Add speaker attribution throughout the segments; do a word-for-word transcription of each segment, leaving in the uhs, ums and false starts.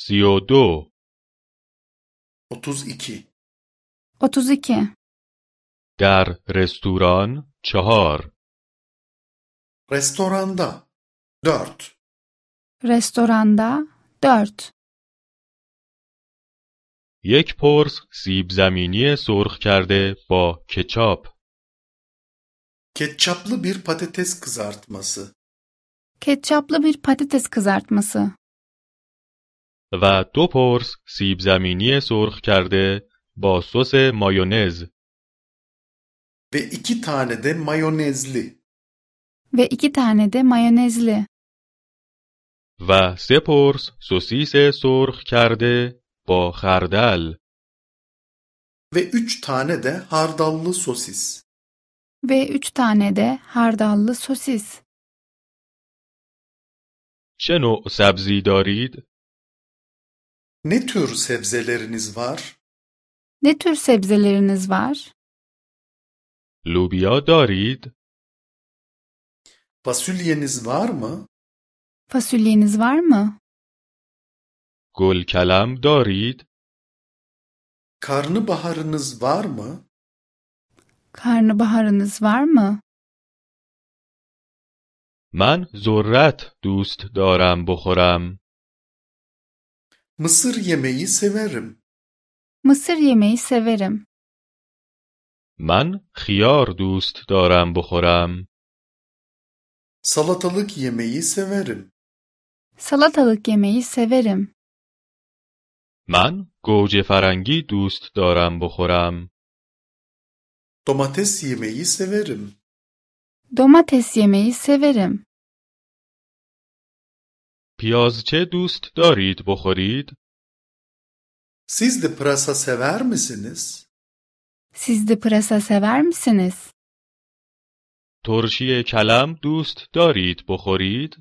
Speaker 1: سی و دو.
Speaker 2: otuz iki.
Speaker 3: otuz iki.
Speaker 1: در رستوران چهار.
Speaker 2: Restoranda dört.
Speaker 3: Restoranda dört.
Speaker 1: یک پرس سیب زمینی سرخ کرده با کچاپ.
Speaker 2: Ketçaplı bir patates kızartması.
Speaker 3: Ketçaplı bir patates kızartması.
Speaker 1: و دو پرس سیب زمینی سرخ کرده با سس مایونز.
Speaker 2: Ve iki tane de mayonezli.
Speaker 3: Ve iki tane de mayonezli.
Speaker 1: و سه پرس سوسیس سرخ کرده با خردل.
Speaker 2: Ve üç tane de hardallı sosis.
Speaker 3: Ve üç tane de hardallı sosis.
Speaker 1: چه نوع سبزی دارید؟
Speaker 2: Ne tür sebzeleriniz var?
Speaker 3: Ne tür sebzeleriniz var?
Speaker 1: لوبیا دارید؟
Speaker 2: Fasulyeniz var mı?
Speaker 3: Fasulyeniz var mı?
Speaker 1: گلکلم دارید؟
Speaker 2: Karnabaharınız var mı?
Speaker 3: Karnabaharınız var mı?
Speaker 1: من ذرت دوست دارم بخورم.
Speaker 2: Mısır yemeği severim.
Speaker 3: Mısır yemeği severim.
Speaker 1: من خیار دوست دارم بخورم.
Speaker 2: Salatalık yemeği severim.
Speaker 3: Salatalık yemeği severim.
Speaker 1: من گوجه فرنگی دوست دارم بخورم.
Speaker 2: Domates yemeği severim.
Speaker 3: Domates yemeği severim.
Speaker 1: پیازچه دوست دارید بخورید؟
Speaker 2: Siz de pırasa sever misiniz?
Speaker 3: Siz de pırasa sever misiniz?
Speaker 1: ترشی کلم دوست دارید بخورید؟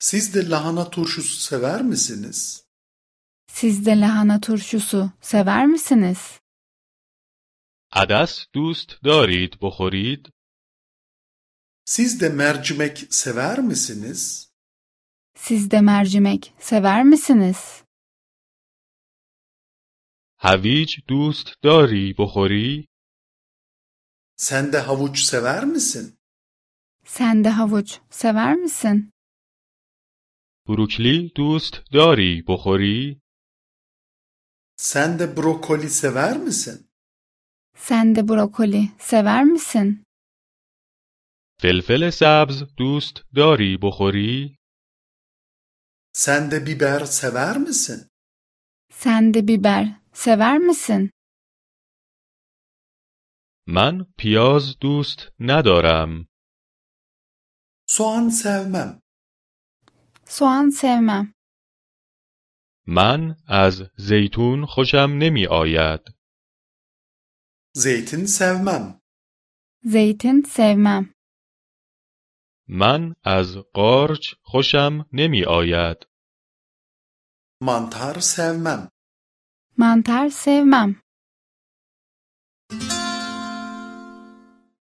Speaker 2: Siz de lahana turşusu sever misiniz?
Speaker 3: Siz de lahana turşusu sever misiniz?
Speaker 1: عدس دوست دارید بخورید؟
Speaker 2: Siz de mercimek sever misiniz?
Speaker 3: Siz de mercimek sever misiniz?
Speaker 1: هویج دوست داری بخوری؟
Speaker 2: Sen de havuç sever misin?
Speaker 3: Sen de havuç sever misin?
Speaker 1: بروکلی دوست داری بخوری؟
Speaker 2: Sen de brokoli sever misin?
Speaker 3: Sen de brokoli sever misin?
Speaker 1: فلفل سبز دوست داری بخوری؟
Speaker 2: Sen de biber sever misin?
Speaker 3: Sen de biber sever misin?
Speaker 1: من پیاز دوست ندارم.
Speaker 2: Soğan sevmem.
Speaker 3: Soğan sevmem.
Speaker 1: من از زیتون خوشم نمی آید.
Speaker 2: Zeytin sevmem.
Speaker 3: Zeytin sevmem.
Speaker 1: من از قارچ خوشم نمی آید.
Speaker 2: Mantar sevmem.
Speaker 3: Mantar sevmem.